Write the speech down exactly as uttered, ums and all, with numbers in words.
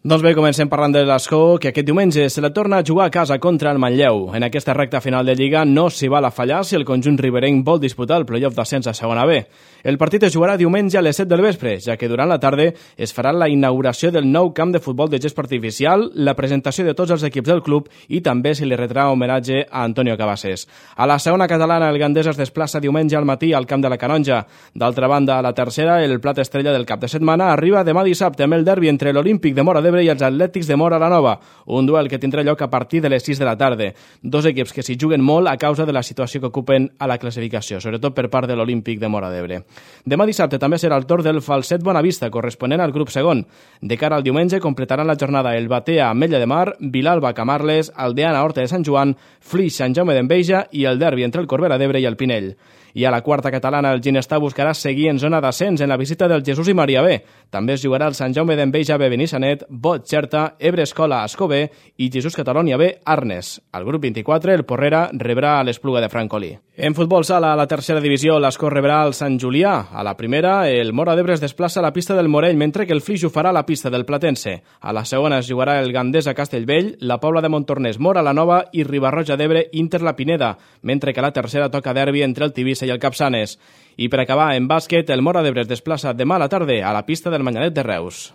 Doncs bé, comencem parlant de l'Escó, que aquest diumenge se la torna a jugar a casa contra el Manlleu. En aquesta recta final de Lliga no s'hi val a fallar si el conjunt riberenc vol disputar el playoff d'ascens a segona B. El partit es jugarà diumenge a les set del vespre, ja que durant la tarda es farà la inauguració del nou camp de futbol de gespa artificial, la presentació de tots els equips del club i també se li retrà homenatge a Antonio Cabasés. A la segona catalana, el Gandesa es desplaça diumenge al matí al camp de la Canonja. D'altra banda, a la tercera, el plat estrella del cap de setmana arriba demà dissabte amb el derbi entre l'Olímpic de Móra d'Ebre i els Atlètics de Móra la Nova, un duel que tindrà lloc a partir de les sis de la tarda. Dos equips que s'hi juguen molt a causa de la situació que ocupen a la classificació, sobretot per part de l'Olímpic de Móra d'Ebre. Demà dissabte també serà el torn del Falset Bonavista, corresponent al grup segon. De cara al diumenge completaran la jornada el Batea Ametlla de Mar, Vilalba Camarles, Aldeana Horta de Sant Joan, Flix Sant Jaume d'Enveja i el derbi entre el Corbera d'Ebre i el Pinell. I a la quarta catalana el Ginestar buscarà seguir en zona d'ascens en la visita del Jesús i Maria B. També es jugarà el Sant Jaume d'Enveja B Benissanet, Bot Xerta, Ebre Escola Ascó B i Jesús Catalonia B Arnes. Al grup vint-i-quatre el Porrera rebrà a l'Espluga de Francolí. En futbol sala, a la tercera divisió, l'Escó rebrà el Sant Julià. A la primera, el Móra d'Ebre es desplaça a la pista del Morell, mentre que el Flix ho farà a la pista del Platense. A la segona es jugarà el Gandesa Castellvell, la Pobla de Montornès Móra la Nova i Ribarroja d'Ebre Inter la Pineda, mentre que a la tercera toca derbi entre el Tivissa i el Capçanes. I per acabar, en bàsquet, el Móra d'Ebre es desplaça demà a la tarda a la pista del Manyanet de Reus.